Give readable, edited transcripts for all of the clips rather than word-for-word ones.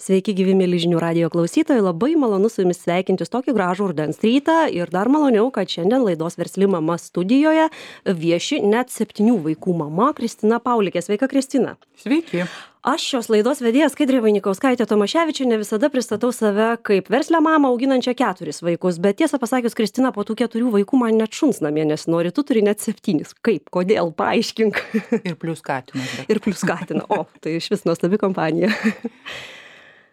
Sveiki, gyvi mėly žinių radijo klausytojai, labai malonu su jumis sveikintis tokį gražų rudens rytą ir dar maloniau, kad šiandien laidos Versli mama studijoje vieši net 7 vaikų mama Kristina Paulikė. Sveika, Kristina. Sveiki. Aš šios laidos vedėjas Skaidrė Vainikauskaitė Tomaševičienė visada pristatau save kaip verslę mamą auginančią 4 vaikus, bet tiesą pasakius, Kristina, po tų 4 vaikų man net šuns namie nesinori, tu turi net 7. Kaip, kodėl, paaiškink. Ir plius katinas. Ir plius katiną. O, tai iš vis nuostabi kompanija.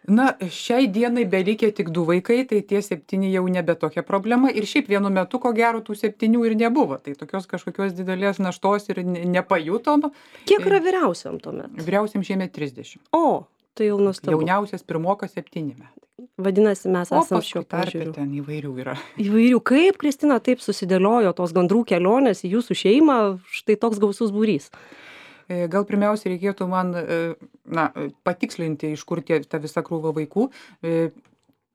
Na, šiai dienai belikė tik 2 vaikai, tai tie 7 jau nebe tokia problema. Ir šiaip vienu metu, ko gero, tų 7 ir nebuvo. Tai tokios kažkokios didelės naštos ir nepajutom. Kiek yra vyriausiam tuomet? Vyriausiam šiemet 30. O, tai jau nuostabu. Jauniausias pirmokas 7 metai. Vadinasi, mes O esam paskui šiuo požiūriu. ten įvairių yra. Įvairių. Kaip, Kristina, taip susidėliojo tos gandrų kelionės į jūsų šeimą, štai toks gausus būrys? Gal pirmiausia reikėtų man patikslinti, iš kur ta visa krūva vaikų.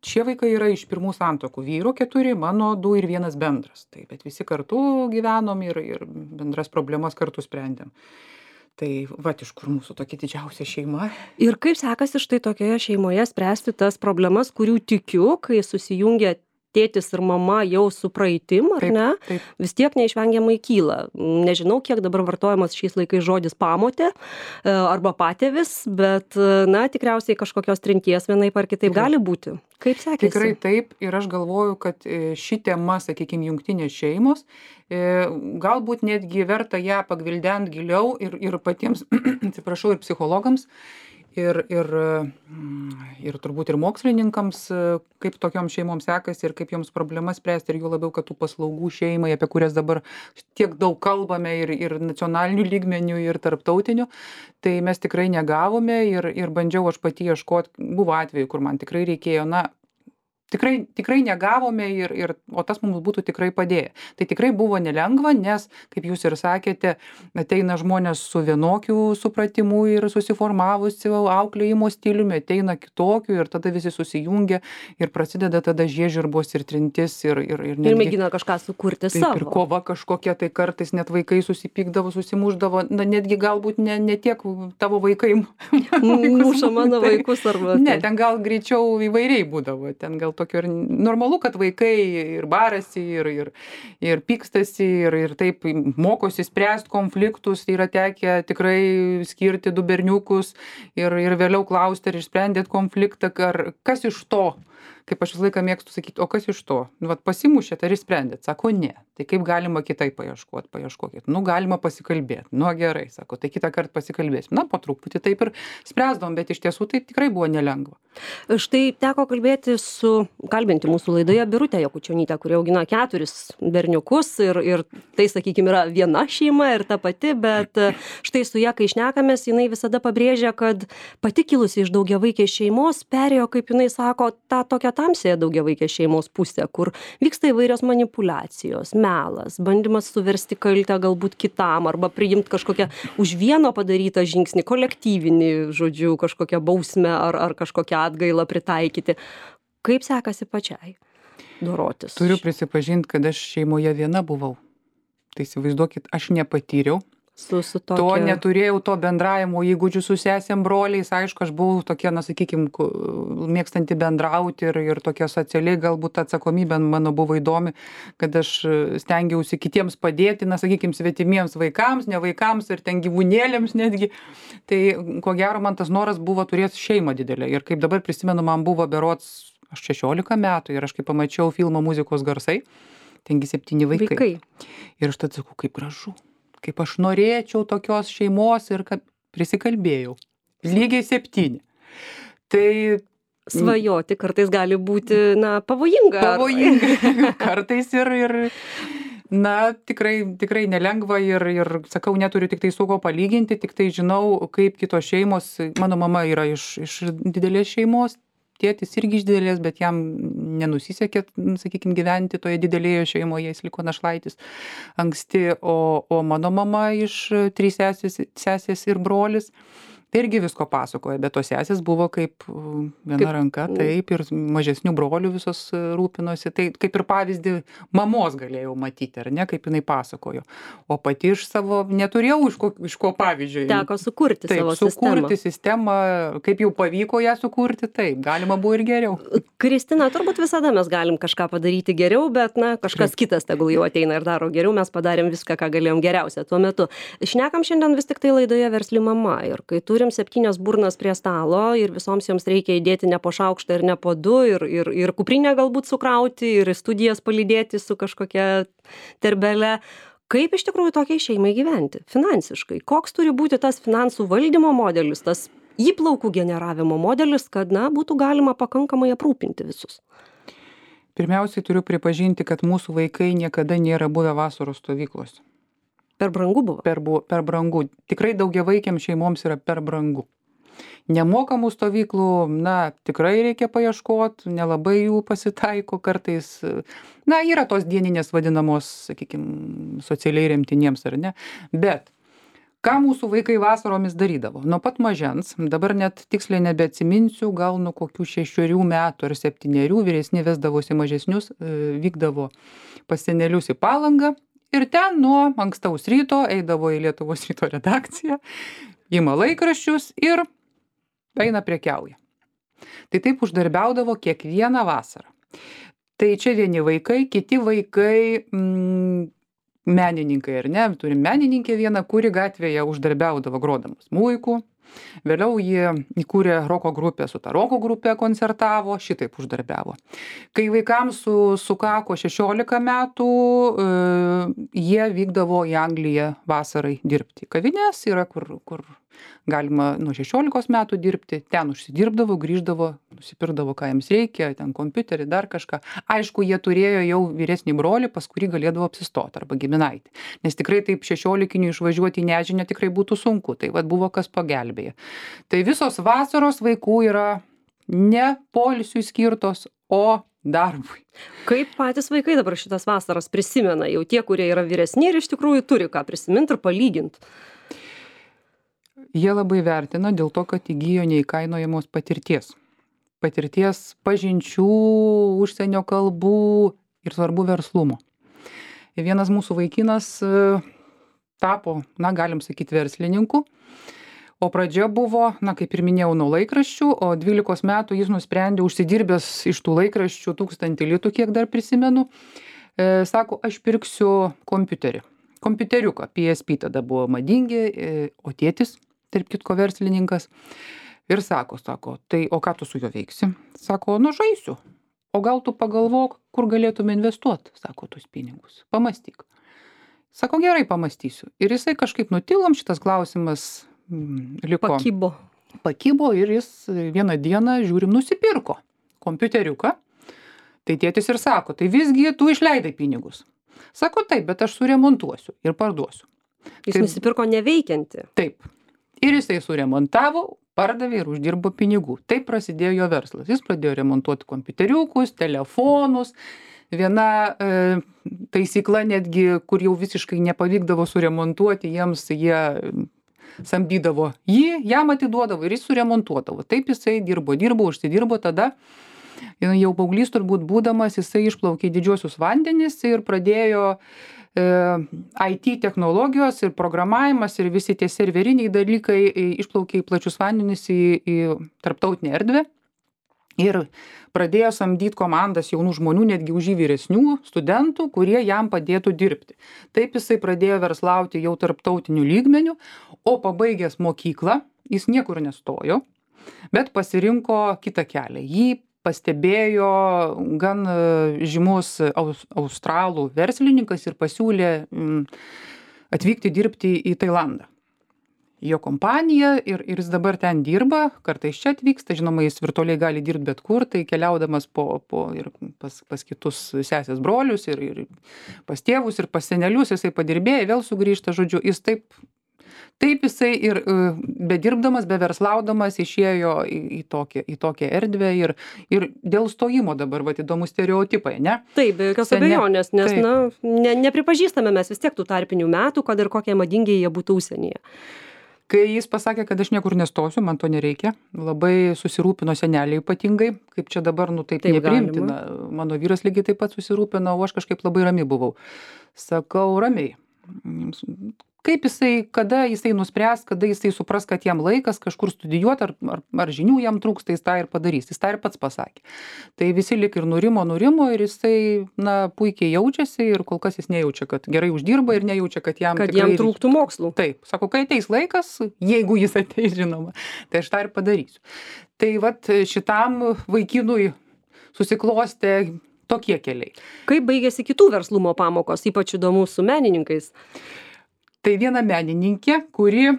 Šie vaikai yra iš pirmų santuokų. Vyro 4, mano 2 ir 1 bendras. Tai, bet visi kartu gyvenom ir bendras problemas kartu sprendėm. Tai iš kur mūsų tokia didžiausia šeima. Ir kaip sekasi štai tokioje šeimoje spręsti tas problemas, kurių tikiu, kai susijungia tėtis ir mama jau su praeitim, ar Taip, ne? taip. Vis tiek neišvengiamai kyla. Nežinau, kiek dabar vartojamas šiais laikais žodis pamotė arba patėvis, bet, tikriausiai kažkokios trinties vienaip ar kitaip gali būti. Kaip sekėsi? Tikrai taip, ir aš galvoju, kad ši tema, sakykime, jungtinės šeimos, galbūt netgi verta ją pagvildent giliau ir patiems, atsiprašau, ir psichologams, ir turbūt ir mokslininkams, kaip tokiom šeimom sekasi ir kaip joms problemas spręsti, ir jų labiau, kad tų paslaugų šeimai, apie kurias dabar tiek daug kalbame ir nacionalinių lygmenių, ir tarptautinių, tai mes tikrai negavome ir bandžiau aš pati ieškoti, buvo atveju, kur man tikrai reikėjo, tikrai negavome, o tas mums būtų tikrai padėję. Tai tikrai buvo nelengva, nes, kaip jūs ir sakėte, ateina žmonės su vienokiu supratimu ir susiformavusiu auklėjimo stiliumi, ateina kitokiu ir tada visi susijungia ir prasideda tada žiežirbos ir trintis ir Ir mėgina kažką sukurti taip, savo. ir kova kažkokia, tai kartais net vaikai susipykdavo, susimuždavo, netgi galbūt ne tiek tavo vaikai Muša mano vaikus arba... Ne, ten gal greičiau įvairiai būdavo, ten gal tokio ir normalu, kad vaikai ir barasi, ir pykstasi, ir taip mokosi spręsti konfliktus, tai yra tekę tikrai skirti 2 berniukus ir vėliau klausti, ar išsprendėt konfliktą, kas iš to. Kaip aš visą laiką mėgstu sakyti, o kas iš to? Pasimušėt ar išsprendėt? Sako, ne. Tai kaip galima kitaip paieškokit. Galima pasikalbėti. Gerai, sako, tai kitą kartą pasikalbėsim. Po truputį taip ir spręsdom, bet iš tiesų tai tikrai buvo nelengva. Štai teko kalbinti mūsų laidoje Birutę Jakučionytę, kuri augina 4 berniukus ir tai, sakykime, yra viena šeima ir ta pati, bet štai su ja, kai šnekamės, jinai visada pabrėžia, kad pati kilusi iš daugiavaikės šeimos perėjo, kaip jinai sako, tą tokią tamsiąją daugiavaikės šeimos pusę, kur vyksta įvairios manipulacijos, melas, bandymas suversti kaltę galbūt kitam arba priimti kažkokią už vieno padarytą žingsnį, kolektyvinį, žodžiu, kažkokią bausmę ar kažkokią atgailą pritaikyti. Kaip sekasi pačiai dorotis? Turiu prisipažinti, kad aš šeimoje viena buvau. Tai įsivaizduokit, aš nepatyriau. Su tokia... To neturėjau to bendravimo įgūdžių su sesėm, broliais. Aišku, aš buvau tokia, sakykime, mėgstanti bendrauti ir tokia socialiai galbūt atsakomybė mano buvo įdomi, kad aš stengiausi kitiems padėti, sakykime, svetimiems vaikams, ne vaikams ir ten gyvūnėlėms netgi. Tai ko gero man tas noras buvo turėti šeimą didelę. Ir kaip dabar prisimenu, man buvo berods 16 metų ir aš kai pamačiau filmą Muzikos garsai, tengi 7 vaikai. Ir aš tada sakau, kaip gražu. Kaip aš norėčiau tokios šeimos ir kad prisikalbėjau. Lygiai 7. Tai svajoti kartais gali būti, pavojinga. Pavojinga. Kartais ir tikrai nelengva ir sakau, neturiu tik tai su ko palyginti, tik tai žinau, kaip kitos šeimos. Mano mama yra iš didelės šeimos. Tėtis irgi iš didelės, bet jam nenusisekė, sakykime, gyventi toje didelėje šeimoje, jis liko našlaitis anksti, o mano mama iš 3 sesės ir brolis. Tai irgi visko pasakoja, bet tos sesės buvo kaip viena ranka, taip, ir mažesnių brolių visos rūpinosi. Tai kaip ir pavyzdį mamos galėjau matyti, ar ne, kaip jinai pasakojo. O pati iš savo neturėjau iš ko pavyzdžio. Teko sukurti taip, savo sukurti sistemą, kaip jau pavyko ją sukurti, taip, galima buvo ir geriau. Kristina, turbūt visada mes galim kažką padaryti geriau, bet, na, kažkas kitas tegul jau ateina ir daro geriau, mes padarėm viską, ką galėjom geriausia tuo metu. Šnekam šiandien vis tik tai laidoje Versli mama ir kai turim 7 burnas prie stalo ir visoms joms reikia įdėti ne po šaukštą ir ne po 2 ir kuprinę galbūt sukrauti ir studijas palydėti su kažkokia terbele. Kaip iš tikrųjų tokiai šeimai gyventi finansiškai? Koks turi būti tas finansų valdymo modelis, tas įplaukų generavimo modelis, kad, na, būtų galima pakankamai aprūpinti visus? Pirmiausiai turiu pripažinti, kad mūsų vaikai niekada nėra buvę vasaros stovyklose. Per brangu buvo? Per brangu. Tikrai daugiavaikėm šeimoms yra per brangu. Nemokamų stovyklų, na, tikrai reikia paieškoti, nelabai jų pasitaiko kartais. Na, yra tos dieninės vadinamos, sakykime, socialiai remtiniems ar ne. Bet ką mūsų vaikai vasaromis darydavo? Nuo pat mažens, dabar net tiksliai nebeatsiminsiu, gal nuo kokių 6 metų ar 7 vyresni vesdavosi mažesnius, vykdavo pas senelius į Palangą. Ir ten nuo ankstaus ryto eidavo į Lietuvos ryto redakciją, ima laikraščius ir eina prekiauja. Tai taip uždarbiaudavo kiekvieną vasarą. Tai čia vieni vaikai, kiti vaikai, menininkai, ar ne? Turim menininkę vieną, kuri gatvėje uždarbiaudavo grodamas smuiku. Vėliau jie įkūrė roko grupę, su ta roko grupė koncertavo, šitaip uždarbiavo. Kai vaikams sukako 16 metų, jie vykdavo į Angliją vasarai dirbti. Kavinės yra, kur galima nuo 16 metų dirbti, ten užsidirbdavo, grįždavo, nusipirkdavo, ką jiems reikia, ten kompiuterį, dar kažką. Aišku, jie turėjo jau vyresnį brolį, pas kurį galėdavo apsistoti, arba giminaitį. Nes tikrai taip 16-inių išvažiuoti į nežinią tikrai būtų sunku, tai vad buvo kas pagelbėja. Tai visos vasaros vaikų yra ne poilsiui skirtos, o darbui. Kaip patys vaikai dabar šitas vasaras prisimena, jau tie, kurie yra vyresni ir iš tikrųjų turi ką prisiminti ir palyginti? Jie labai vertina dėl to, kad įgyjo neįkainojamos patirties. Patirties pažinčių, užsienio kalbų ir svarbu verslumo. Ir vienas mūsų vaikinas tapo, na, galim sakyti, verslininku. O pradžia buvo, na, kaip ir minėjau, nuo laikraščių, o 12 metų jis nusprendė užsidirbęs iš tų laikraščių 1000 litų, kiek dar prisimenu. Sako, aš pirksiu kompiuterį. Kompiuteriuką, PSP tada buvo madingi, o tėtis, tarp kitko, verslininkas. Ir sako, tai o ką tu su juo veiksi? Sako, nu žaisiu. O gal tu pagalvok, kur galėtume investuoti, sako, tuos pinigus. Pamąstyk. Sako, gerai, pamąstysiu. Ir jisai kažkaip nutilom, šitas klausimas liko. Pakibo ir jis vieną dieną, žiūrim, nusipirko kompiuteriuką. Tai tėtis ir sako, tai visgi tu išleidai pinigus. Sako, taip, bet aš suremontuosiu ir parduosiu. Jis nusipirko neveikiantį. Taip. Ir jisai suremontavo, pardavė ir uždirbo pinigų. Taip prasidėjo jo verslas. Jis pradėjo remontuoti kompiuteriukus, telefonus. Viena taisykla netgi, kur jau visiškai nepavykdavo suremontuoti, jie samdydavo jį, jam atiduodavo ir jis suremontuodavo. Taip jisai dirbo, užsidirbo, tada jau paauglys turbūt būdamas, jisai išplaukė į didžiuosius vandenis ir pradėjo IT technologijos ir programavimas ir visi tie serveriniai dalykai išplaukė į plačius vandenis į tarptautinę erdvę. Ir pradėjo samdyti komandas jaunų žmonių, netgi už jį vyresnių studentų, kurie jam padėtų dirbti. Taip jisai pradėjo verslauti jau tarptautiniu lygmeniu, o pabaigęs mokyklą, jis niekur nestojo, bet pasirinko kitą kelią. Jį pastebėjo gan žymus australų verslininkas ir pasiūlė atvykti dirbti į Tailandą. Jo kompanija ir jis dabar ten dirba, kartais čia atvyksta, žinoma, jis virtualiai gali dirbti bet kur, tai keliaudamas ir pas kitus sesės brolius ir pas tėvus ir pas senelius, jisai padirbėjo, vėl sugrįžta, žodžiu, jis taip jisai ir bedirbdamas, beverslaudamas išėjo į tokią erdvę ir dėl stojimo dabar, vat, įdomus stereotipai, ne? Taip, be jokios abejonės, nes, nepripažįstame mes vis tiek tų tarpinių metų, kad ir kokie madingi jie būtų užsienyje. Kai jis pasakė, kad aš niekur nestosiu, man to nereikia, labai susirūpino seneliai ypatingai, kaip čia dabar, taip nepriimtina. Mano vyras lygiai taip pat susirūpino, o aš kažkaip labai rami buvau. Sakau, ramiai. Kaip jisai, kada jisai nuspręs, kada jisai supras, kad jam laikas kažkur studijuoti, ar žinių jam trūksta, jis tą ir padarys. Jis tą ir pats pasakė. Tai visi lik ir nurimo ir jisai, puikiai jaučiasi ir kol kas jis nejaučia, kad gerai uždirba ir nejaučia, kad jam trūktų mokslų. Taip, sako, kai ateis laikas, jeigu jis ateis, žinoma, tai aš tą ir padarysiu. Tai vat šitam vaikinui susiklostė tokie keliai. Kaip baigėsi kitų verslumo pamokos, ypač įdomu su menininkais? Tai viena menininkė, kuri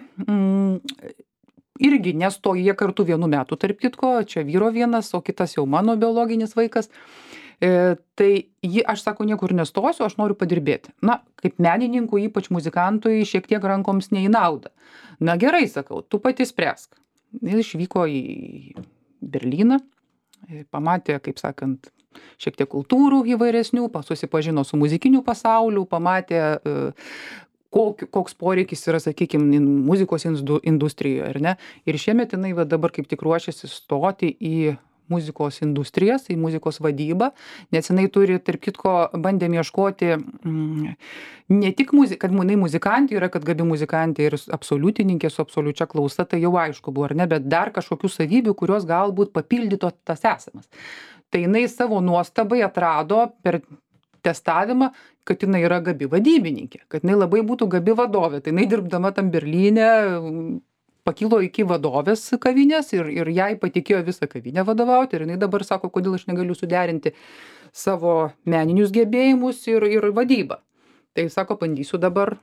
irgi nestojo, jie kartu 1 metų, tarp kitko, čia vyro vienas, o kitas jau mano biologinis vaikas. Tai aš sako, niekur nestosiu, aš noriu padirbėti. Kaip menininkų, ypač muzikantui, šiek tiek rankoms ne į naudą. Gerai, sakau, tu pati spręsk. Jis išvyko į Berlyną, pamatė, kaip sakant, šiek tiek kultūrų įvairesnių, susipažino su muzikiniu pasauliu, pamatė koks poreikis yra, sakykime, muzikos industrijoje, ar ne? Ir šiemet jinai dabar kaip tik ruošiasi stoti į muzikos industrijas, į muzikos vadybą, nes jinai turi, tarp kitko, bandėm ieškoti ne tik kad jinai muzikantė yra, kad gabi muzikantė ir absoliutininkė su absoliučia klausa, tai jau aišku buvo, ar ne, bet dar kažkokių savybių, kurios galbūt papildyto tas esamas. Tai jinai savo nuostabai atrado per testavimą, kad jinai yra gabi vadybininkė, kad jinai labai būtų gabi vadovė. Tai jinai dirbdama tam Berlyne pakilo iki vadovės kavinės ir jai patikėjo visą kavinę vadovauti. Ir jinai dabar sako, kodėl aš negaliu suderinti savo meninius gebėjimus ir vadybą. Tai sako, bandysiu dabar,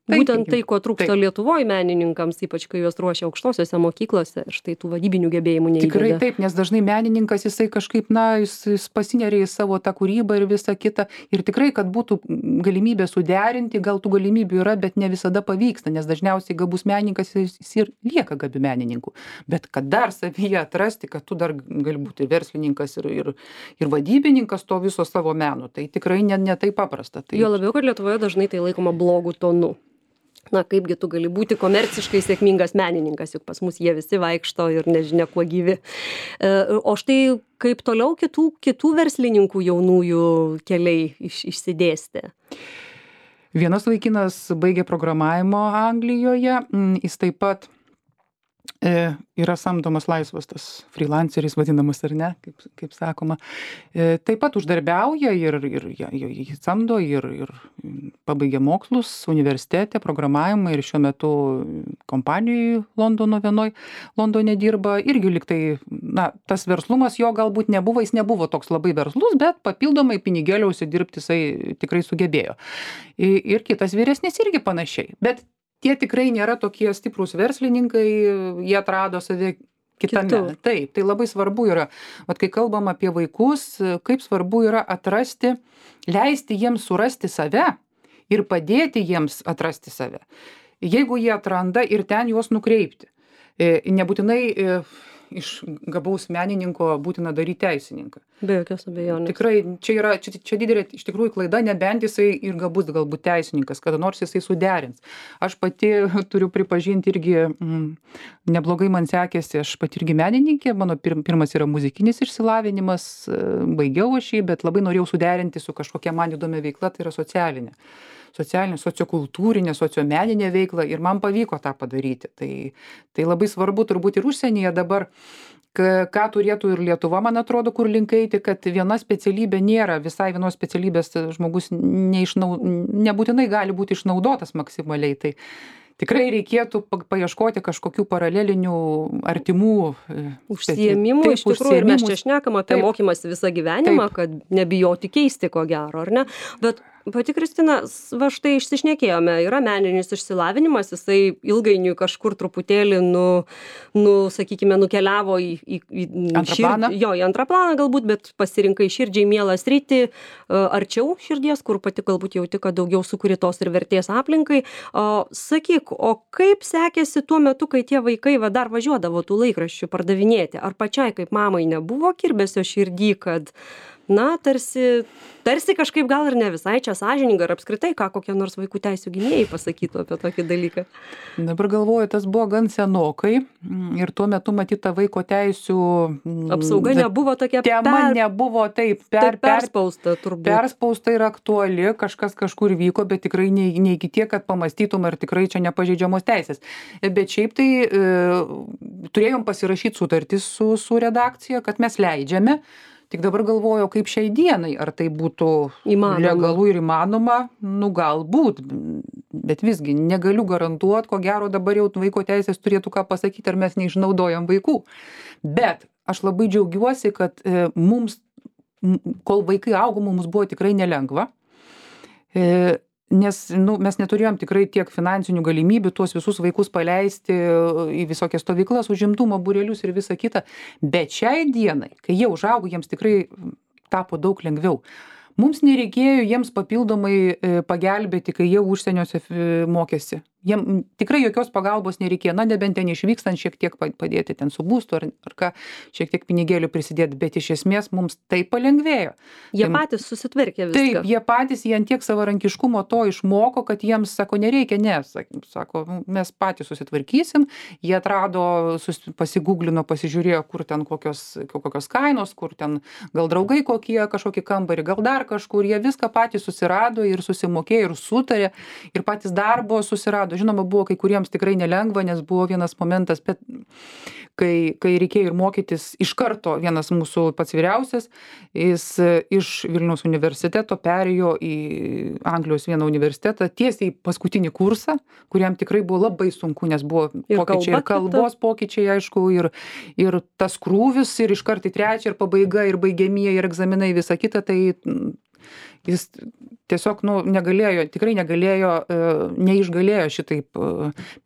Būtent tai, ko trūksta Lietuvoje menininkams, ypač kai juos ruošia aukštosiose mokyklose, ir štai tų vadybinių gebėjimų neįdeda. Tikrai taip, nes dažnai menininkas jisai kažkaip, jis pasineria į savo tą kūrybą ir visą kitą. Ir tikrai, kad būtų galimybė suderinti, gal tų galimybių yra, bet ne visada pavyksta, nes dažniausiai gabus menininkas jis ir lieka gabi menininku. Bet kad dar savyje atrasti, kad tu dar gali būti verslininkas ir vadybininkas to viso savo meno, tai tikrai ne taip paprasta. Jo labiau, kad Lietuvoje dažnai tai laikoma blogų tonu. Kaipgi tu gali būti komerciškai sėkmingas menininkas, juk pas mus jie visi vaikšto ir nežinia kuo gyvi. O štai kaip toliau kitų verslininkų jaunųjų keliai išsidėstė? Vienas vaikinas baigė programavimo Anglijoje, jis taip pat yra samdomas laisvas, tas freelanceris vadinamas, ar ne, kaip sakoma. Taip pat uždarbiauja ir jį samdo ir pabaigė mokslus universitete, programavimą ir šiuo metu kompanijoje Londone dirba. Irgi liktai, tas verslumas jo galbūt nebuvo, jis nebuvo toks labai verslus, bet papildomai pinigėlio užsidirbti jisai tikrai sugebėjo. Ir kitas vyresnis irgi panašiai. Bet tie tikrai nėra tokie stiprūs verslininkai, jie atrado save kitame. Taip, tai labai svarbu yra. Kai kalbam apie vaikus, kaip svarbu yra leisti jiems surasti save ir padėti jiems atrasti save. Jeigu jie atranda ir ten juos nukreipti. Nebūtinai iš gabaus menininko būtina daryti teisininką. Be jokios abejonės. Tikrai, čia didelė iš tikrųjų klaida, nebent jisai ir gabus galbūt teisininkas, kada nors jisai suderins. Aš pati turiu pripažinti irgi, neblogai man sekėsi, aš pati irgi menininkė, mano pirmas yra muzikinis išsilavinimas, baigiau aš jį, bet labai norėjau suderinti su kažkokia man įdomia veikla, tai yra socialinė, sociokultūrinė, sociomeninė veikla ir man pavyko tą padaryti. Tai labai svarbu turbūt ir užsienyje dabar, ką turėtų ir Lietuva, man atrodo, kur link eiti, kad viena specialybė nėra, visai vienos specialybės žmogus nebūtinai gali būti išnaudotas maksimaliai. Tai tikrai reikėtų paieškoti kažkokių paralelinių artimų užsiėmimų, iš tikrųjų, ir mes čia šnekam apie mokymąsi visą gyvenimą, kad nebijoti keisti, ko gero, ar ne? Bet pati Kristina, va štai išsišnekėjome, yra meninis išsilavinimas, jisai ilgainiui kažkur truputėlį sakykime, nukeliavo į antrą planą galbūt, bet pasirinkai širdžiai mielą sritį, arčiau širdies, kur pati galbūt jauti, kad daugiau sukuri tos ir vertės aplinkai. Sakyk, o kaip sekėsi tuo metu, kai tie vaikai dar važiuodavo tų laikraščių pardavinėti? Ar pačiai kaip mamai nebuvo kirbesio širdį, kad na, tarsi kažkaip gal ir ne visai čia sąžininga ir apskritai, ką kokie nors vaikų teisių gynėjai pasakytų apie tokį dalyką. Dabar galvoju, tas buvo gan senokai ir tuo metu matyta vaiko teisių Apsauga nebuvo tokia tema nebuvo taip perspausta turbūt. Perspausta ir aktuali, kažkas kažkur vyko, bet tikrai ne iki tiek, kad pamastytum, ar tikrai čia nepažeidžiamos teisės. Bet šiaip tai turėjom pasirašyti sutartis su redakcija, kad mes leidžiame. Tik dabar galvoju, kaip šiai dienai, ar tai būtų legalu ir įmanoma, nu galbūt, bet visgi negaliu garantuoti, ko gero dabar jau vaiko teisės turėtų ką pasakyti, ar mes neišnaudojam vaikų. Bet aš labai džiaugiuosi, kad mums, kol vaikai augo, mums buvo tikrai nelengva. Nes mes neturėjom tikrai tiek finansinių galimybių tuos visus vaikus paleisti į visokias stovyklas, užimtumo būrelius ir visą kitą. Bet šiai dienai, kai jie užaugo, jiems tikrai tapo daug lengviau. Mums nereikėjo jiems papildomai pagelbėti, kai jie užsieniuose mokėsi. Jiem tikrai jokios pagalbos nereikėjo, na nebent ten išvykstant šiek tiek padėti ten su būstu ar ką, šiek tiek pinigėlių prisidėti, bet iš esmės mums tai palengvėjo. Jie patys susitvarkė viską. Taip, jie patys, jie ant tiek savarankiškumo to išmoko, kad jiems, sako, nereikia, sako, mes patys susitvarkysim, jie atrado, pasigūglino, pasižiūrėjo, kur ten kokios kainos, kur ten gal draugai kokie, kažkokį kambarį, gal dar kažkur, jie viską patys susirado ir susimokėjo ir sutarė ir patys darbo susirado. Žinoma, buvo kai kuriems tikrai nelengva, nes buvo vienas momentas, bet kai reikėjo ir mokytis iš karto, vienas mūsų pats vyriausias, jis iš Vilniaus universiteto perėjo į Anglijos vieną universitetą, tiesiai paskutinį kursą, kuriam tikrai buvo labai sunku, nes buvo pokyčiai ir kalbos pokyčiai, aišku, ir tas krūvis, ir iš karto į trečią, ir pabaiga, ir baigiamieji, ir egzaminai, visa kita, tai jis tiesiog tikrai negalėjo, neišgalėjo šitaip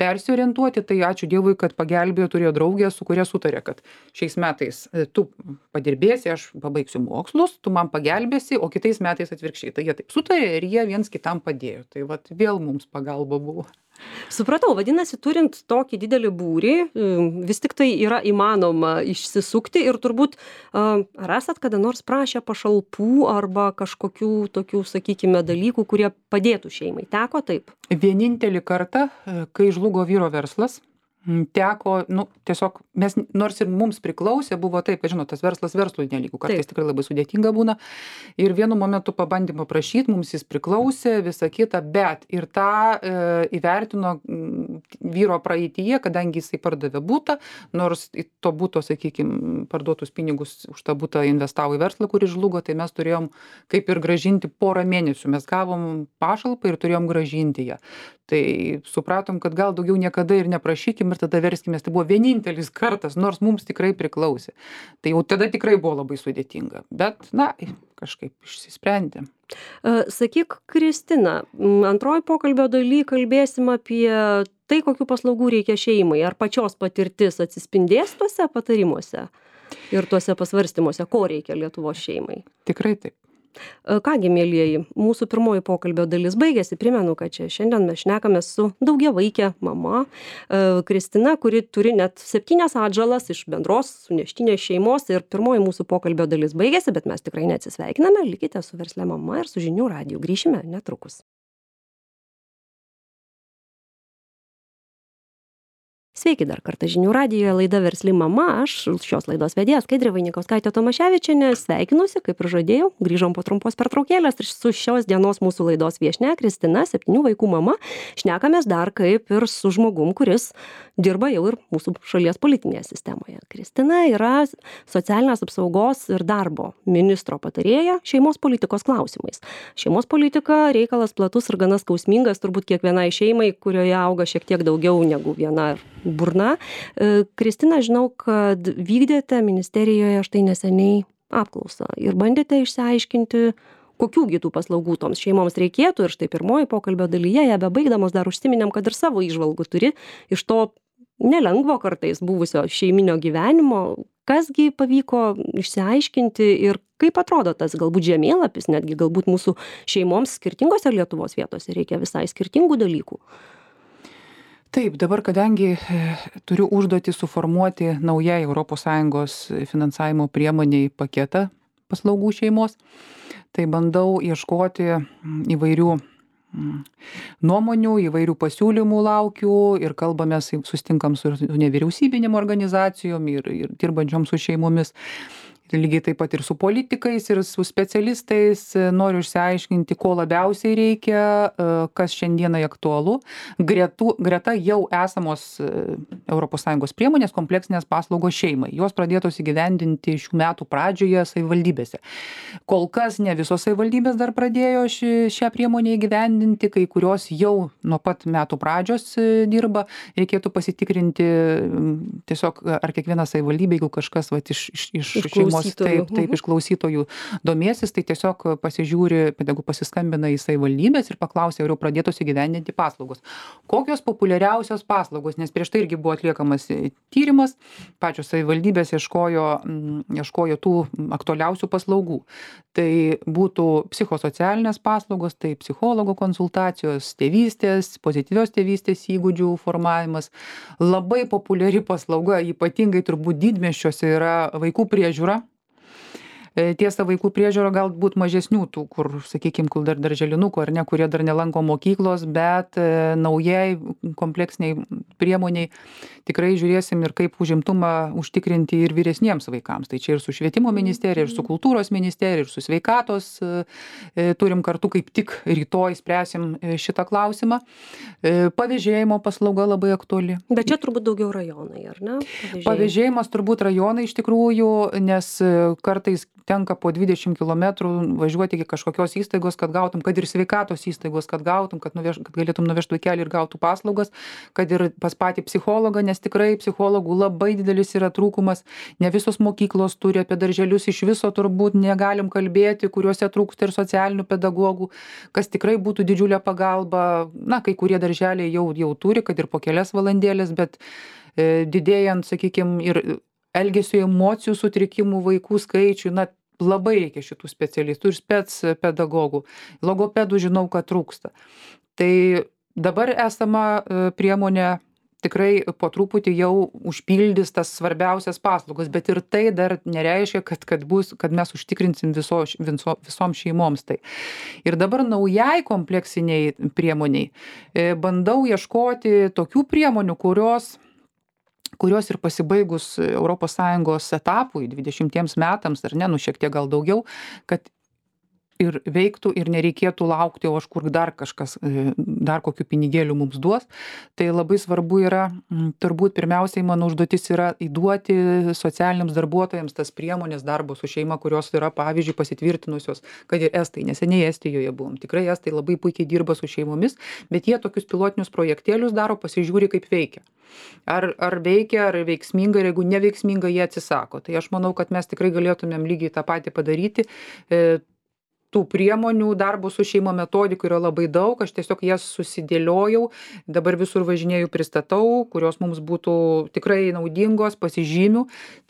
persiorientuoti, tai ačiū Dievui, kad pagelbėjo, turėjo draugę, su kuria sutarė, kad šiais metais tu padirbėsi, aš pabaigsiu mokslus, tu man pagelbėsi, o kitais metais atvirkščiai. Tai jie taip sutarė ir jie viens kitam padėjo. Tai vat vėl mums pagalba buvo. Supratau, vadinasi, turint tokį didelį būrį, vis tik tai yra įmanoma išsisukti ir turbūt ar esat kada nors prašę pašalpų arba kažkokių tokių, sakykime, dalykų, kurie padėtų šeimai. Teko taip? Vienintelį kartą, kai žlugo vyro verslas, teko, tiesiog mes, nors ir mums priklausė, buvo taip, kad žinot, tas verslas verslui nelygų, kartais tikrai labai sudėtinga būna. Ir vienu momentu pabandėme prašyti, mums jis priklausė, visa kita, bet ir tą įvertino vyro praeityje, kadangi jisai pardavė butą, nors to buto, sakykime, parduotus pinigus už tą butą investavo į verslą, kuris žlugo, tai mes turėjom kaip ir gražinti porą mėnesių. Mes gavom pašalpą ir turėjom gražinti ją. Tai supratom, kad gal daugiau niekada ir neprašykim ir tada verskimės. Tai buvo vienintelis kartas, nors mums tikrai priklausė. Tai jau tada tikrai buvo labai sudėtinga. Bet, kažkaip išsisprendė. Sakyk, Kristina, antroji pokalbio daly kalbėsim apie tai, kokių paslaugų reikia šeimai. Ar pačios patirtis atsispindės tuose patarimuose ir tuose pasvarstymuose, ko reikia Lietuvos šeimai? Tikrai taip. Kągi, mielieji, mūsų pirmoji pokalbio dalis baigėsi. Primenu, kad čia šiandien mes šnekame su daugiavaike mama Kristina, kuri turi net 7 atžalas iš bendros suneštinės šeimos. Ir pirmoji mūsų pokalbio dalis baigėsi, bet mes tikrai neatsisveikiname. Likite su Versle mama ir su Žinių radiju. Grįšime netrukus. Sveiki dar kartą Žinių radijoje, laida Versli mama, aš šios laidos vedėja Skaidrė Vainikauskaitė-Tomaševičienė, sveikinuosi, kaip ir žadėjau, grįžom po trumpos pertraukėlės ir su šios dienos mūsų laidos viešnia Kristina, 7 vaikų mama, šnekamės dar kaip ir su žmogum, kuris dirba jau ir mūsų šalies politinėje sistemoje. Kristina yra socialinės apsaugos ir darbo ministro patarėja šeimos politikos klausimais. Šeimos politika reikalas platus ir gana skausmingas, turbūt kiekvienai šeimai, kurioje auga šiek tiek daugiau negu viena burna. Kristina, žinau, kad vykdėte ministerijoje štai neseniai apklausą ir bandėte išsiaiškinti, kokių tų paslaugų toms šeimoms reikėtų. Ir štai pirmoji pokalbio dalyje, ją bebaigdamos dar užsiminėm, kad ir savo įžvalgų turi iš to nelengvo kartais buvusio šeiminio gyvenimo. Kasgi pavyko išsiaiškinti ir kaip atrodo tas galbūt žemėlapis, netgi galbūt mūsų šeimoms skirtingose Lietuvos vietose reikia visai skirtingų dalykų. Taip, dabar kadangi turiu užduotį suformuoti naujai ES finansavimo priemoniai paketą paslaugų šeimos. Tai bandau ieškoti įvairių nuomonių, įvairių pasiūlymų laukiu ir kalbamės, susitinkam su nevyriausybinėm organizacijom ir dirbančiom su šeimomis. Lygiai taip pat ir su politikais, ir su specialistais noriu išsiaiškinti, ko labiausiai reikia, kas šiandienai aktualu. Greta jau esamos ES priemonės kompleksinės paslaugos šeimai. Jos pradėtos įgyvendinti šių metų pradžioje savivaldybėse. Kol kas ne visos savivaldybės dar pradėjo šią priemonę įgyvendinti, kai kurios jau nuo pat metų pradžios dirba. Reikėtų pasitikrinti tiesiog, ar kiekviena savivaldybė, jeigu kažkas iš šeimos taip iš klausytojų domėsis, tai tiesiog pasižiūri, jeigu pasiskambina į savivaldybės ir paklausia, ar jau pradėtos įgyvendinti paslaugos. Kokios populiariausios paslaugos, nes prieš tai irgi buvo atliekamas tyrimas, pačios savivaldybės ieškojo tų aktualiausių paslaugų. Tai būtų psichosocialinės paslaugos, tai psichologo konsultacijos, tėvystės, pozityvios tėvystės įgūdžių formavimas. Labai populiari paslauga, ypatingai turbūt didmiesčiuose, yra vaikų priežiūra. Tiesa, vaikų priežiūra galbūt mažesnių tų, kur, sakykime, kur dar darželinukų ar ne, kurie dar nelanko mokyklos, bet naujai kompleksiniai priemoniai tikrai žiūrėsim ir kaip užimtumą užtikrinti ir vyresniems vaikams. Tai čia ir su švietimo ministerija, ir su kultūros ministerija, ir su sveikatos turim kartu, kaip tik rytoj spręsim šitą klausimą. Pavėžėjimo paslauga labai aktuali. Bet čia turbūt daugiau rajonai, ar ne? Pavėžėjimas turbūt rajonai iš tikrųjų, nes kartais tenka po 20 km važiuoti iki kažkokios įstaigos, kad gautum, kad ir sveikatos įstaigos, kad gautum, kad galėtum nuvežti vaikelį ir gautų paslaugas, kad ir pas patį psichologą, nes tikrai psichologų labai didelis yra trūkumas. Ne visos mokyklos turi, apie darželius iš viso turbūt negalim kalbėti, kuriuose trūksta ir socialinių pedagogų, kas tikrai būtų didžiulė pagalba. Na, kai kurie darželiai jau turi, kad ir po kelias valandėlės, bet didėjant, sakykime, ir elgesio emocijų sutrikimų vaikų skaičių, na, labai reikia šitų specialistų ir spec pedagogų. Logopedų žinau, kad trūksta. Tai dabar esama priemonė tikrai po truputį jau užpildys tas svarbiausias paslaugas, bet ir tai dar nereiškia, kad mes užtikrinsim visom šeimoms tai. Ir dabar naujai kompleksiniai priemoniai bandau ieškoti tokių priemonių, kurios ir pasibaigus ES etapui 20 metams, ar ne, šiek tiek gal daugiau, kad ir veiktų ir nereikėtų laukti, o aš kur dar kažkas, dar kokių pinigėlių mums duos. Tai labai svarbu yra, turbūt pirmiausiai mano užduotis yra įduoti socialiniams darbuotojams tas priemonės darbo su šeima, kurios yra, pavyzdžiui, pasitvirtinusios, kad ir estai, neseniai Estijoje buvom. Tikrai estai labai puikiai dirba su šeimomis, bet jie tokius pilotinius projektėlius daro, pasižiūri, kaip veikia. Ar veikia, ar veiksminga, ir jeigu neveiksminga, jie atsisako. Tai aš manau, kad mes tikrai galėtumėm lygiai tą patį padaryti. Tų priemonių darbo su šeima metodikų yra labai daug, aš tiesiog jas susidėliojau, dabar visur važinėjau, pristatau, kurios mums būtų tikrai naudingos, pasižymių,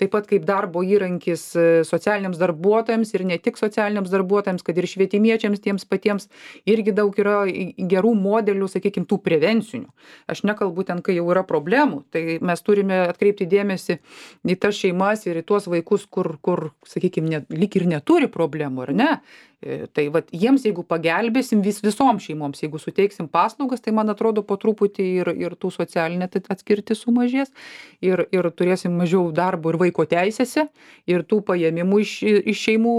taip pat kaip darbo įrankis socialiniams darbuotojams ir ne tik socialiniams darbuotojams, kad ir švietimiečiams tiems patiems irgi daug yra gerų modelių, sakykime, tų prevencinių. Aš nekalbu ten, kai jau yra problemų, tai mes turime atkreipti dėmesį į tas šeimas ir į tuos vaikus, kur sakykime, lyg ir neturi problemų, ar ne? Tai vat, jiems, jeigu pagelbėsim visom šeimoms, jeigu suteiksim paslaugas, tai man atrodo po truputį ir tų socialinė atskirti sumažės ir turėsim mažiau darbo ir vaiko teisėse ir tų paėmimų iš šeimų,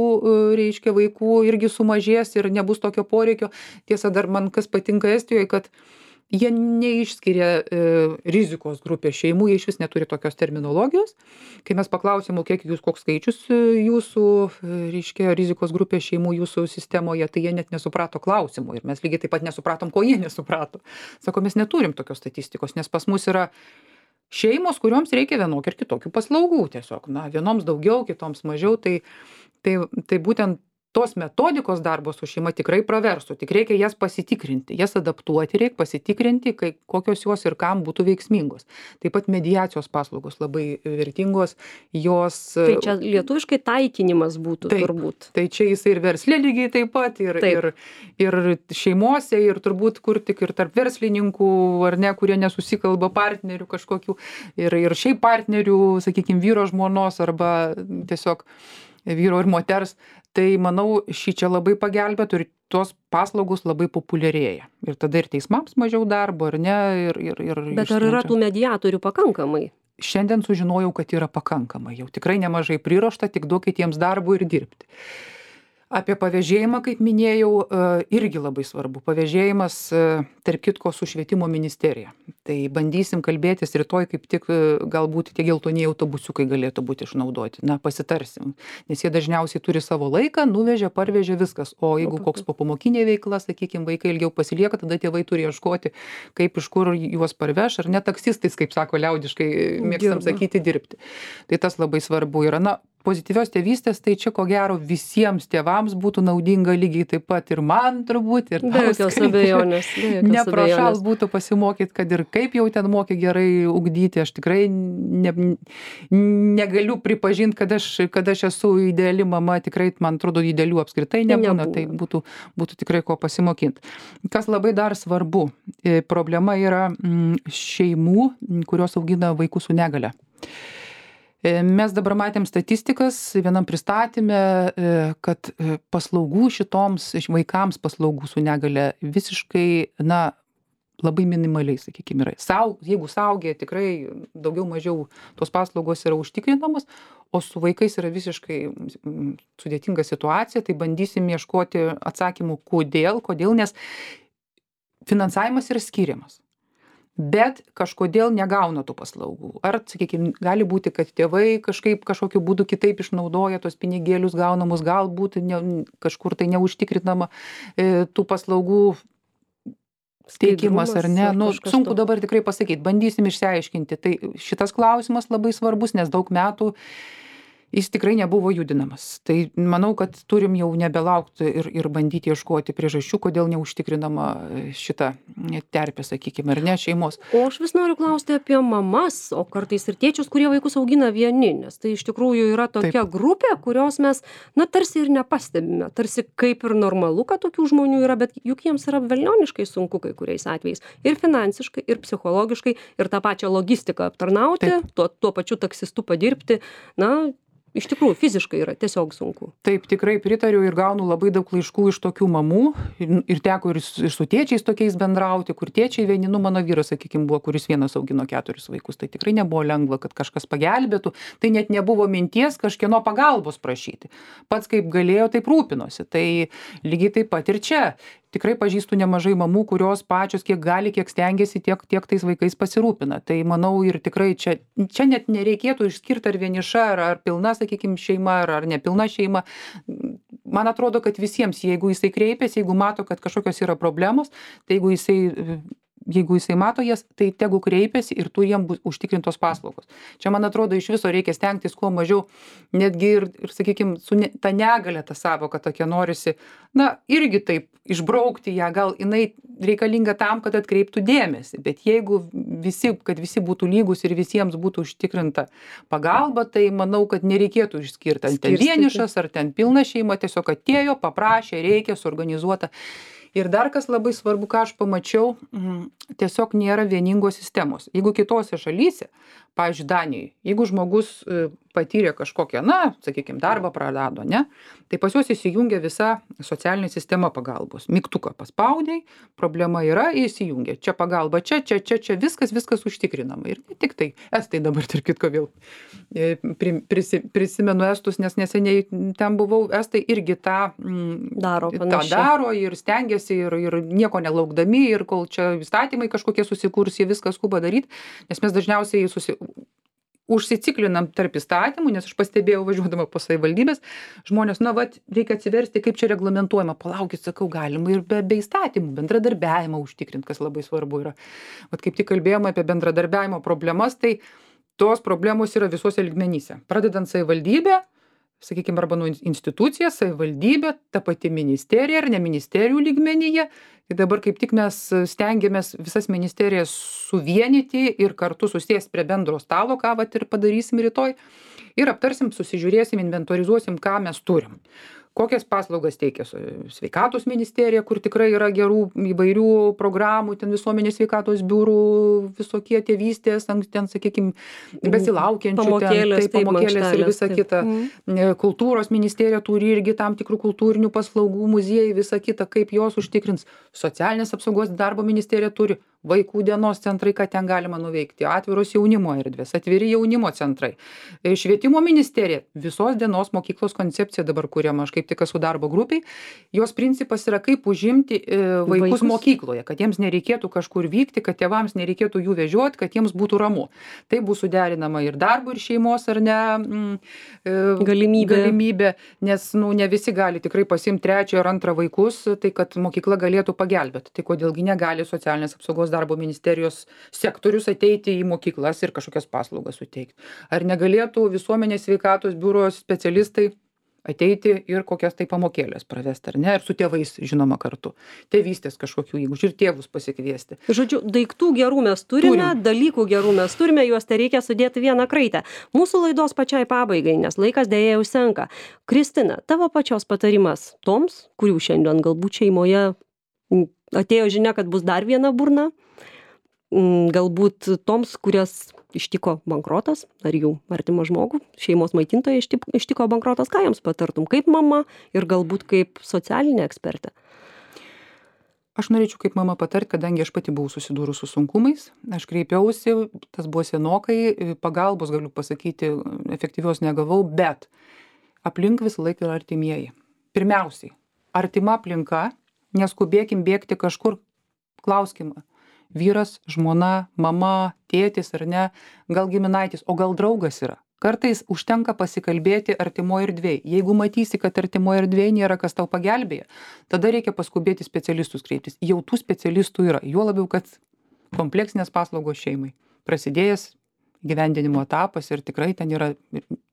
reiškia, vaikų irgi sumažės ir nebus tokio poreikio. Tiesa, dar man kas patinka Estijoje, kad jie neišskiria rizikos grupės šeimų, jie iš vis neturi tokios terminologijos. Kai mes paklausėm, koks skaičius jūsų, reiškia, rizikos grupės šeimų jūsų sistemoje, tai jie net nesuprato klausimų. Ir mes lygiai taip pat nesupratom, ko jie nesuprato. Sako, mes neturim tokios statistikos, nes pas mus yra šeimos, kurioms reikia vienokių ir kitokių paslaugų. Tiesiog, vienoms daugiau, kitoms mažiau. Tai būtent tos metodikos darbo su šeima tikrai praverstų, tik reikia jas pasitikrinti, jas adaptuoti, reikia pasitikrinti, kokios jos ir kam būtų veiksmingos. Taip pat mediacijos paslaugos labai vertingos, jos... Tai čia lietuviškai taikinimas būtų turbūt. Tai čia jis ir verslė lygiai taip pat, ir šeimose, ir turbūt kur tik ir tarp verslininkų, ar ne, kurie nesusikalba partnerių kažkokių, ir šiaip partnerių, sakykime, vyro žmonos, arba tiesiog vyro ir moters, tai manau, šičia labai pagelbėtų ir tos paslaugos labai populiarėja. Ir tada ir teismams mažiau darbo, ar ne? Bet ar yra tų mediatorių pakankamai? Šiandien sužinojau, kad yra pakankamai. Jau tikrai nemažai priruošta, tik duokit jiems darbo ir dirbti. Apie pavėžėjimą, kaip minėjau, irgi labai svarbu. Pavėžėjimas, tarp kitko, su švietimo ministerija. Tai bandysim kalbėtis rytoj, kaip tik galbūt tie geltonieji autobusiukai galėtų būti išnaudoti. Na, pasitarsim. Nes jie dažniausiai turi savo laiką, nuvežė, parvežė viskas. O jeigu koks popamokinė veikla, sakykime, vaikai ilgiau pasilieka, tada tėvai turi ieškoti, kaip iš kur juos parveš, ar ne taksistais, kaip sako liaudiškai, mėgstam sakyti, dirbti. Tai tas labai svarbu yra. Na, pozityvios tėvystės, tai čia ko gero visiems tėvams būtų naudinga lygiai taip pat ir man turbūt, ir be jokios abejonės. Neprašal būtų pasimokyti, kad ir kaip jau ten moki gerai ugdyti, aš tikrai negaliu pripažinti, kad aš esu ideali mama, tikrai, man atrodo, idealių apskritai nebūna, tai būtų tikrai ko pasimokinti. Kas labai dar svarbu, problema yra šeimų, kurios augina vaikus su negale. Mes dabar matėm statistikas vienam pristatyme, kad paslaugų šitoms vaikams paslaugų su negale visiškai, labai minimaliai, sakykime, yra. Jeigu suaugę, tikrai daugiau mažiau tos paslaugos yra užtikrinamos, o su vaikais yra visiškai sudėtinga situacija, tai bandysim ieškoti atsakymų, kodėl, nes finansavimas yra skiriamas. Bet kažkodėl negauna tų paslaugų. Ar, sakykime, gali būti, kad tėvai kažkokiu būdu kitaip išnaudoja tos pinigėlius gaunamus, galbūt kažkur tai neužtikrinama tų paslaugų teikimas ar ne. Sunku dabar tikrai pasakyti, bandysim išsiaiškinti. Tai šitas klausimas labai svarbus, nes daug metų jis tikrai nebuvo judinamas. Tai manau, kad turim jau nebelaukti ir bandyti ieškoti priežasčių, kodėl neužtikrinama šita terpė, sakykime, ar ne, šeimos. O aš vis noriu klausti apie mamas, o kartais ir tėčius, kurie vaikus augina vieni, nes tai iš tikrųjų yra tokia grupė, kurios mes, tarsi ir nepastebime, tarsi kaip ir normalu, kad tokių žmonių yra, bet juk jiems yra velnioniškai sunku kai kuriais atvejais. Ir finansiškai, ir psichologiškai, ir tą pačią logistiką aptarnauti, tuo pačiu taksistu padirbti, iš tikrųjų, fiziškai yra tiesiog sunku. Taip, tikrai pritariu ir gaunu labai daug laiškų iš tokių mamų ir teko ir su tėčiais tokiais bendrauti, kur tėčiai vieni, mano vyras, sakykime, buvo, kuris vienas augino 4 vaikus, tai tikrai nebuvo lengva, kad kažkas pagelbėtų, tai net nebuvo minties kažkieno pagalbos prašyti. Pats kaip galėjo, taip rūpinosi, tai lygiai taip pat ir čia. Tikrai pažįstu nemažai mamų, kurios pačios kiek gali, kiek stengiasi, tiek tais vaikais pasirūpina. Tai manau ir tikrai čia net nereikėtų išskirti ar vieniša, ar pilna, sakykime, šeima, ar nepilna šeima. Man atrodo, kad visiems, jeigu jisai kreipiasi, jeigu mato, kad kažkokios yra problemos, tai jeigu jisai mato jas, tai tegu kreipiasi ir tu jiem bus užtikrintos paslaugos. Čia, man atrodo, iš viso reikia stengtis kuo mažiau, netgi ir sakykime, su ta negalia ta savoka tokia norisi, irgi taip išbraukti ją, gal jinai reikalinga tam, kad atkreiptų dėmesį, bet jeigu kad visi būtų lygus ir visiems būtų užtikrinta pagalba, tai manau, kad nereikėtų išskirti, ar ten vienišas, ar ten pilna šeima, tiesiog atėjo, paprašė, reikia, suorganizuota. Ir dar kas labai svarbu, ką aš pamačiau, tiesiog nėra vieningos sistemos. Jeigu kitose šalyse, pavyzdžiui, Danijoje, jeigu žmogus patyrė kažkokią, sakykime, darbą prarado, ne, tai pas juos įsijungia visa socialinė sistema pagalbos. Mygtuką paspaudai, problema yra, įsijungia. Čia pagalba, čia, viskas užtikrinama. Ir ne tik tai, estai dabar, tarp kitko, vėl prisimenu estus, nes neseniai ten buvau, estai irgi tą daro ir stengiasi ir nieko nelaukdami, ir kol čia įstatymai kažkokie susikurs, jie viską skuba daryti, nes mes dažniausiai užsiciklinam tarp įstatymų, nes aš pastebėjau važiuodama po savivaldybės, žmonės, reikia atsiversti, kaip čia reglamentuojama, palaukit, sakau, galima ir be įstatymų, bendradarbiavimą užtikrinti, kas labai svarbu yra. Kaip tik kalbėjome apie bendradarbiavimo problemas, tai tos problemos yra visuose lygmenyse. Pradedant savivaldybę, sakykime, arba institucija, savivaldybė, ta pati ministerija ar ne ministerijų lygmenyje, Tai dabar kaip tik mes stengiamės visas ministerijas suvienyti ir kartu susėsti prie bendro stalo, ką vat ir padarysim rytoj. Ir aptarsim, susižiūrėsim, inventorizuosim, ką mes turim. Kokias paslaugas teikia sveikatos ministerija, kur tikrai yra gerų įvairių programų, ten visuomenės sveikatos biurų, visokie tėvystės, ten, sakykime, besilaukiančių, pamokėlės ir visa kita. Kultūros ministerija turi irgi tam tikrų kultūrinių paslaugų, muziejai, visa kita, kaip jos užtikrins. Socialinės apsaugos darbo ministerija turi vaikų dienos centrai, ką ten galima nuveikti, atviros jaunimo erdvės, atviri jaunimo centrai. Švietimo ministerija, visos dienos mokyklos koncepcija dabar kuriama, aš kaip tik esu darbo grupiai, jos principas yra kaip užimti vaikus mokykloje, kad jiems nereikėtų kažkur vykti, kad tėvams nereikėtų jų vežioti, kad jiems būtų ramu. Tai bus suderinama ir darbo, ir šeimos, ar ne galimybė, nes ne visi gali tikrai pasimti trečią ar antrą vaikus, tai kad mokykla galėtų pagelbėti. Tai kodėlgi negali socialinės apsaugos darbo ministerijos sektorius ateiti į mokyklas ir kažkokias paslaugas suteikti. Ar negalėtų visuomenės sveikatos biuro specialistai ateiti ir kokias tai pamokėlės pravesti, ar ne, ir su tėvais, žinoma, kartu. Tėvystės kažkokių įgūdžių ir tėvus pasikviesti. Žodžiu, daiktų gerų mes turime, dalykų gerų mes turime, juos tai reikia sudėti vieną kraitę. Mūsų laidos pačiai pabaigai, nes laikas dėja jau senka. Kristina, tavo pačios patarimas toms, kurių šiandien galbūt šeimoje atėjo žinia, kad bus dar viena burna, galbūt toms, kurias ištiko bankrotas, ar jų artimą žmogų, šeimos maitintoje ištiko bankrotas, ką jiems patartum, kaip mama ir galbūt kaip socialinė ekspertė? Aš norėčiau kaip mama patarti, kadangi aš pati buvau susidūrus su sunkumais, aš kreipiausi, tas buvo senokai, pagalbos galiu pasakyti, efektyvios negavau, bet aplink visą laiką yra artimieji. Pirmiausiai, artima aplinka, neskubėkim bėgti kažkur, klauskim, vyras, žmona, mama, tėtis ar ne, gal giminaitis, o gal draugas yra. Kartais užtenka pasikalbėti artimoje erdvėje. Jeigu matysi, kad artimoje erdvėje nėra kas tau pagelbėja, tada reikia paskubėti specialistus kreiptis. Jau tų specialistų yra, juo labiau, kad kompleksinės paslaugos šeimai. Prasidėjęs gyvendinimo etapas ir tikrai ten yra,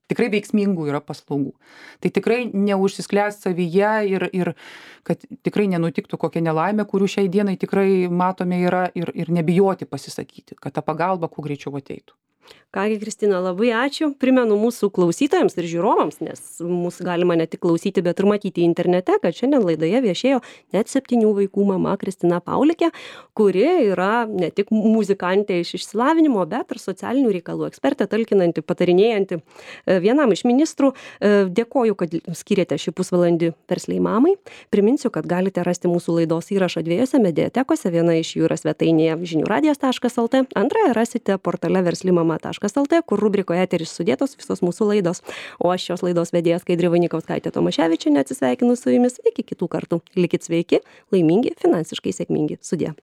tikrai veiksmingų yra paslaugų. Tai tikrai neužsisklęst savyje ir kad tikrai nenutiktų kokia nelaimė, kurių šiai dienai tikrai matome yra ir nebijoti pasisakyti, kad ta pagalba kuo greičiau ateitų. Kągi, Kristina, labai ačiū. Primenu mūsų klausytojams ir žiūrovams, nes mūsų galima ne tik klausyti, bet ir matyti internete, kad šiandien laidoje viešėjo net 7 vaikų mama Kristina Paulikė, kuri yra ne tik muzikantė iš išsilavinimo, bet ir socialinių reikalų ekspertė, talkinanti, patarinėjanti vienam iš ministrų. Dėkoju, kad skiriate šį pusvalandį Versliai mamai. Priminsiu, kad galite rasti mūsų laidos įrašą 2 mediatekose. Viena iš jų yra svetainėje žiniųradijas.lt, antrąją rasite portale verslimama.lt, kur rubrikoje eteris sudėtos visos mūsų laidos. O aš šios laidos vedėja Skaidrė Vainykauskaitė Tomaševičienė atsisveikinu su jumis iki kitų kartų. Likit sveiki, laimingi, finansiškai sėkmingi. Sudie.